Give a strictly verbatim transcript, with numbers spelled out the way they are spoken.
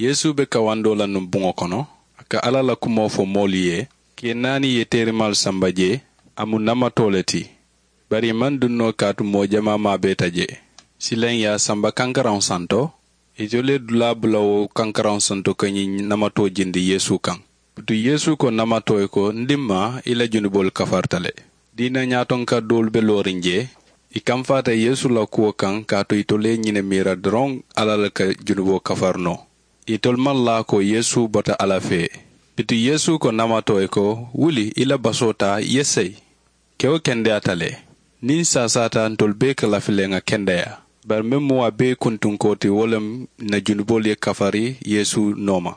Yeesu be kawandoo la nuŋ buŋo kono, a ka alla la kumoo fo moolu ye. Kee naani ye teerimaalu samba jee. A mu namatoo le ti, bari ì maŋ duŋ noo kaatu moo jamaa maabeeta jee. Silaŋ ì ye a samba kankaraŋo santo. Itolu ye dulaa bula wo kankaraŋo santo ka ñiŋ namatoo jindi yeesu kaŋ. Bituŋ yeesu ko namatoo ye ko, n dimmaa, i la junuboolu kafarita le. Diina ñaatonka doolu be looriŋ jee. Ì kamfaata yeesu la kuwo kaŋ kaatu itolu ye ñiŋ ne miira doroŋ, alla le ka junuboo kafari noo. Itolu maŋ laa ko yeesu bota alla fee. Bituŋ yeesu ko namatoo ye ko, wuli, i la basoo taa, i ye seyi. Kewo kendeyaata le. Niŋ n saasaata, ntolu bee ka lafi le ŋà kendeyaa. Bari meŋ mu a bee kuntunkoo ti, wo le mu n na junuboolu ye kafari yeesu nooma.